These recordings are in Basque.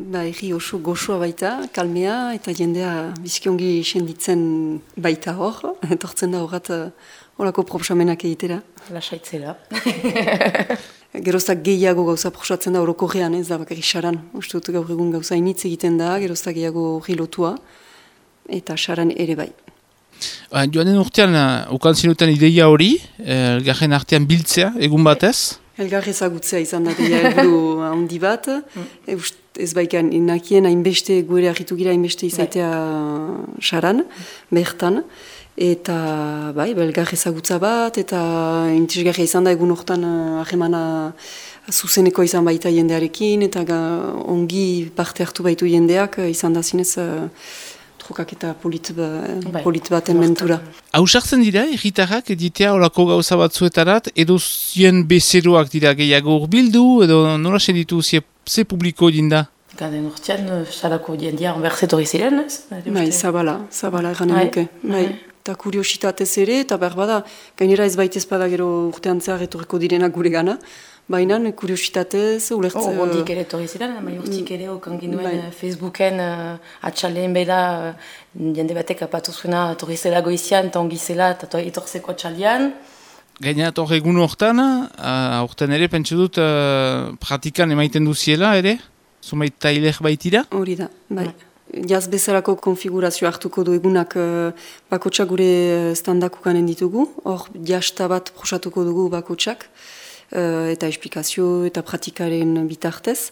Erri oso goxoa baita, kalmea, eta jendea bizkiongi senditzen baita hor, etortzen da horrat horako proposamenak egitera. Lasaitzela. Geroztak gehiago gauza proposatzen da orokorrean, ez da bakarrik saran. Uste dut gaur egun gauza initz egiten da, geroztak gehiago horri lotua, eta saran ere bai. Joanen urtean, ukan zinuten ideia hori, elgarren artean biltzea, egun batez? Elgar ezagutzea izan da helburu handi bat, ez baikan inakien hainbeste guere argitu gira hainbeste izaitea saran, bertan, eta bai, elgar ezagutza bat, eta intisgarria izan da egun hortan ahemana zuzeneko izan baita jendearekin, eta ongi parte hartu baitu jendeak izan da zinez trukak eta polit baten mentura. Hausartzen dira, egitarrak editea horako gauza batzuetarat, edo zien bezeroak dira gehiago urbildu, edo nola senditu ze publiko dinda? Gaden urtean, salako jendia onbertzetori ziren, ez? Bai, zabala eranen duke. Bai, eta kuriositatez ere, eta berbada, gainera ez baitez bada gero urtean zehar etorriko direnak gure gana, baina kuriositatez, ulertzen... Ondik ere etorri ziren, urtik ere okan ginuen Facebooken atxaleen beda jende batek apatu zuena etorri zela goizian, eta ongi zela, eta etorzeko atxalean. Gaina egun hortan, hortan ere, pentsu dut, pratikan emaiten duziela ere? Zumait tailer baitira? Hori da, bai. Jaz bezalako konfigurazio hartuko du egunak bakotsak gure standakukanen ditugu, hor jasta bat prosatuko dugu bakotsak, eta esplikazio eta pratikaren bitartez,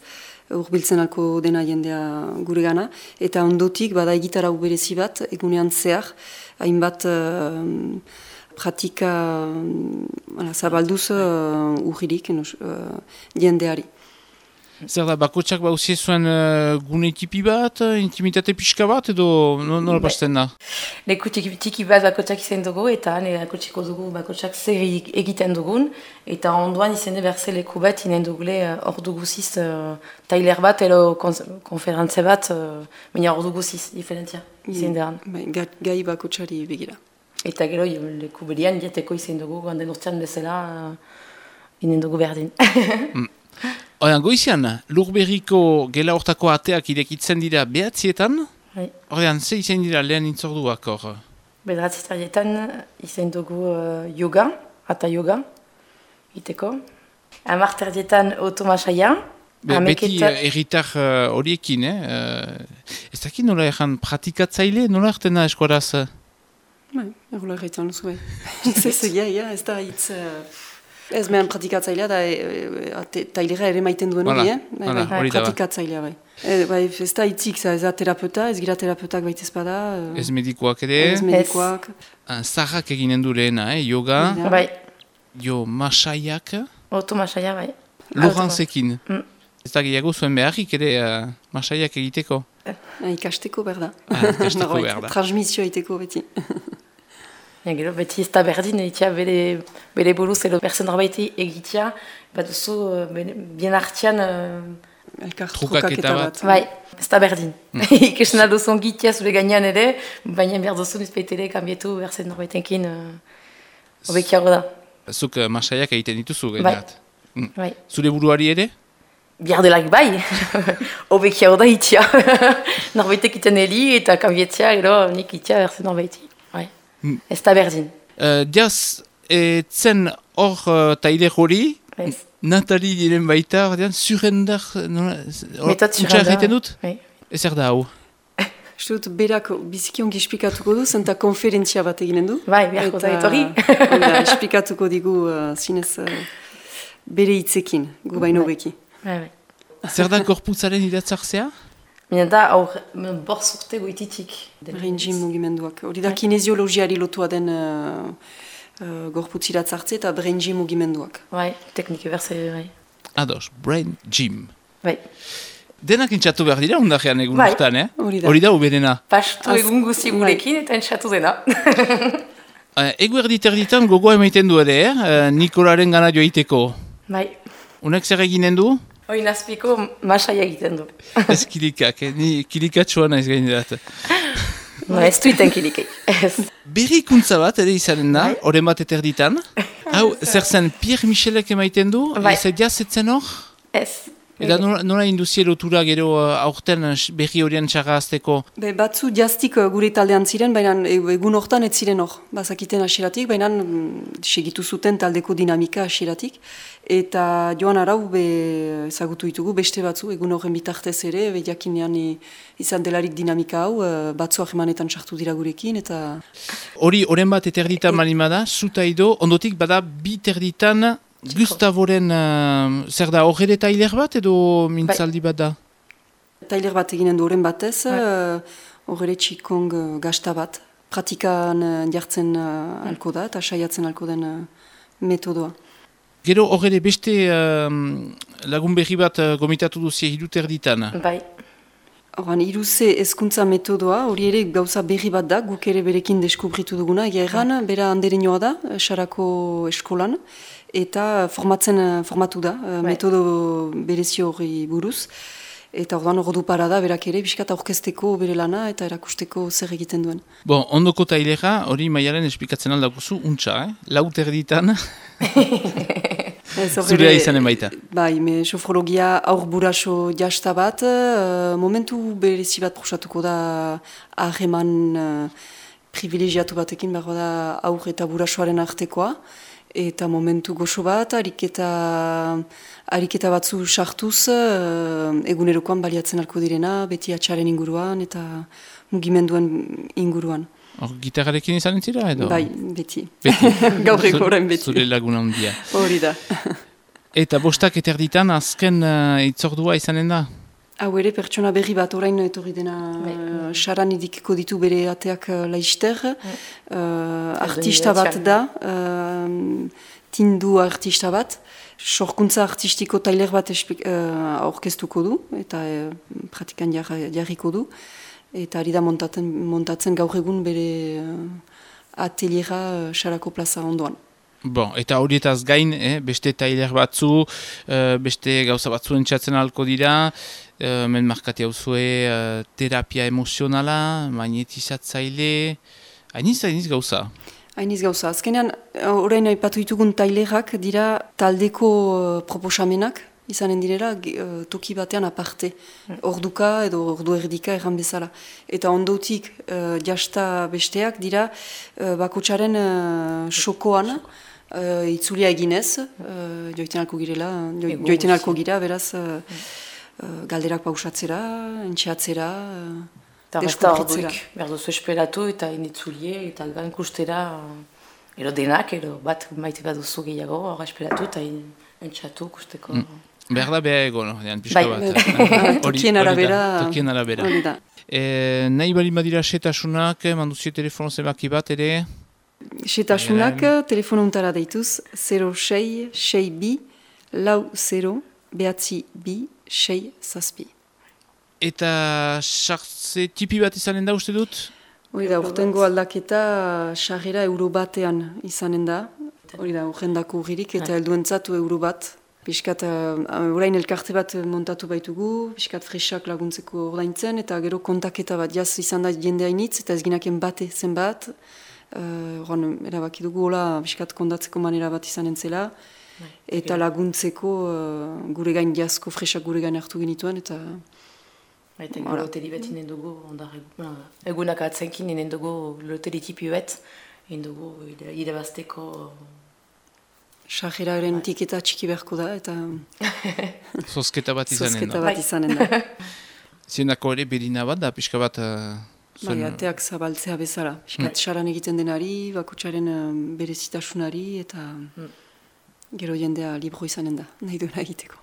urbiltzen alko dena jendea gure gana, eta ondotik bada egitara berezi bat, egunean zehar, hainbat pratika zabalduz urririk jendeari. Zer da, bakotsak bauzie zuen gune tipi bat, intimitate pixka bat, edo nola pasten da? Leku tiki bat bakotsak izan dugu, eta akutsiko dugu bakotsak zer egiten dugun, eta onduan izan berze leku bat, inen dugule hor duguziz tailer bat, edo konferantze bat, baina hor duguziz, diferentzia, izan deran. Gai bakotsari begira. Eta gero leku berian jateko izan dugu, ganden urtean bezala, inen dugu berdin. Oian, goizian, Lurberriko gela hortako ateak irekitzen dira behatzietan? Oian, ze izan dira lehen intzorduak hor? Bedratzitarietan izan dugu yoga, ata yoga, iteko. Amarterdietan automasaia. Beti erritar horiekin, ez dakit nola erran pratikatzaile, nola ertena eskoraz? Errola erraitan duzu, ez da hitz... Ez mehan pratikatzailea da tailera ere maiten duen hori, pratikatzailea bai. Ez da hitzik, ez da terapeuta, ez gira terapeutak baitez bada. Ez medikoak ere. Ez medikoak. Zaharrak eginen du lehena, yoga. Bai. Jo masaiak. Masaia, bai. Lorantzekin. Ez da gehiago zuen beharrik ere masaiak egiteko. Ikasteko behar da. Ikasteko behar da. Transmisioa egiteko beti. Gero, beti ez da berdin egitea bere buruz edo persen norbaiti egitea, bat duzu bien hartian trukaketa bat. Bai, ez da berdin. Ikesten alduzun gitea zure gainean ere, baina behar duzu nizpeitere kanbietu persen norbaitenkin obekiago da. Zuk masaiak egiten dituzu gaineat. Bai. Zure buruari ere? Behar delak bai, obekiago da itea. Norbaitek iten heli eta kanbietzea, gero nik itea persen norbaiti. Ez da berdin. Diaz, zen hor taile hori, Natali diren baita, surrendar, Metot surrendar. Egiten dut? Ezer da hau? Dut, berak biziki ongi esplikatuko du, zenta konferentzia bat eginen du. Bai, beharko da etorri. Esplikatuko digu zinez bere hitzekin, gu baino beki. Zer da gorputzaren idatzartzea? Mina da, borz urte goititik. Brain gym mugimenduak. Hori da kineziologiari lotua den gorputziratz hartze eta brain gym mugimenduak. Bai, teknike berze, bai. Ados, brain gym. Bai. Denak intxatu behar dira undajean egun urtean, Hori da uberena. Pastu egun guzi gurekin eta intxatu dena. Egu erditerditan gogoa emaiten du ere, Nikolaren gana joaiteko. Bai. Unek zer eginen du? Hoi nazpiko masaia egiten du. Ez kilikak, ni kilikatxoa naiz gainerat. Ez duiten kilikei. Berrikuntza bat ere izanen da, horren bat eterditan. Hau, zer zen Pierre Michelek emaiten du? Ez diazetzen hor? Ez. Eta nola induzie lotura gero aurten berri horien txarrazteko? Batzu jaztik gure taldean ziren, baina egun hortan ez ziren hor. Bazakiten hasieratik, baina segitu zuten taldeko dinamika hasieratik. Eta joan arau ezagutu ditugu beste batzu, egun horren bitartez ere, jakinean izan delarik dinamika hau, batzu ahemanetan sartu dira gurekin, eta... Horren bat eterditan malimada, zuta edo, ondotik bada bi terditan Gustavoren, zer da, horre tailer bat edo mintzaldi bat da? Tailer bat eginen du horren batez, horre txikong gazta bat, pratikan jartzen alko da, eta saiatzen alko den metodoa. Gero horre beste lagun berri bat gomitatu duzie hiruter ditan? Bai. Horan, iruze ezkuntza metodoa, hori ere gauza berri bat da, guk ere berekin deskubritu duguna, egeran, bera handereinoa da, Sarako eskolan, eta formatu da, metodo berezio hori buruz, eta orduan ordu para da, berak ere, biskat aurkezteko bere lana, eta erakusteko zer egiten duen. Bon, ondoko tailera, hori Maialen esplikatzen aldakuzu, untxa, lauter ditan... Zurea izanen baita. Bai, sofrologia aur buraso jasta bat, momentu berezi bat prosatuko da ahreman privilegiatu batekin, behar da aur eta burasoaren artekoa, eta momentu goxo bat, ariketa batzu sartuz, egunerokoan baliatzen alko direna, beti atxaren inguruan eta mugimenduen inguruan. Gitarrarekin izan entzira edo? Bai, beti. Gaur egoren beti. Zure laguna handia. Hori da. Eta bostak eterditan azken itzordua izanen da? Hau ere, pertsona berri bat orain etorri dena saran idikiko ditu bere ateak laister. Artista bat da, tindu artista bat. Sorkuntza artistiko tailer bat aurkeztuko du, eta pratikan jarriko du. Eta ari da montatzen gaur egun bere ateliera Sarako plaza ondoan. Bon, eta horietaz gain, beste tailer batzu, beste gauza batzu entzatzen alko dira, men markate hau zue terapia emozionala, magnetizatzaile, hainiz gauza? Hainiz gauza. Azkenean, orain aipatu ditugun tailerak dira taldeko proposamenak, izanen direla toki batean aparte, orduka edo ordu erdika erran bezala. Eta ondotik jasta besteak dira bakotsaren xokoan itzulia eginez, joiten alko gira, beraz galderak pausatzera, entxeatzera, deskubritzera. Behar duzu esperatu eta initzulie eta gankustera ero denak, ero bat maite bat duzu gehiago, hor esperatu eta entxatu kusteko. Behar da beha ego, pixka bat. Tokien arabera. Tokien arabera. Nahi bali badira setasunak, manduzie telefono zebaki bat ere? Setasunak, telefono untara deituz, 06-6-2, lau 0, behatzi 2, 6 zazpi. Eta sartze tipi bat izanen da uste dut? Hori da, urtengo aldaketa sarrera euro batean izanen da. Hori da, urrendako urririk eta helduentzatu euro bat. Piskat, orain elkarte bat montatu baitugu, piskat fresak laguntzeko ordaintzen, eta gero kontaketa bat jaz izan da jende hainitz, eta ez ginaken bate zenbat. Erabaki dugu, hola, piskat kondatzeko manera bat izan entzela, eta laguntzeko gure gain jazko fresak gure gain hartu genituen, eta... Eta gero loteri bat inen dugu, egunak atzenkin inen dugu loteri tipi bat, inen dugu irabazteko... Sarreraren tiketa txiki beharko da, eta... Zozketa bat izanen da. Zienako ere berina bat da, pixka bat... Bai, ateak zabaltzea bezala. Piskat saran egiten denari, bakotsaren berezitasunari, eta gero jendea libro izanen da, nahi duena egiteko.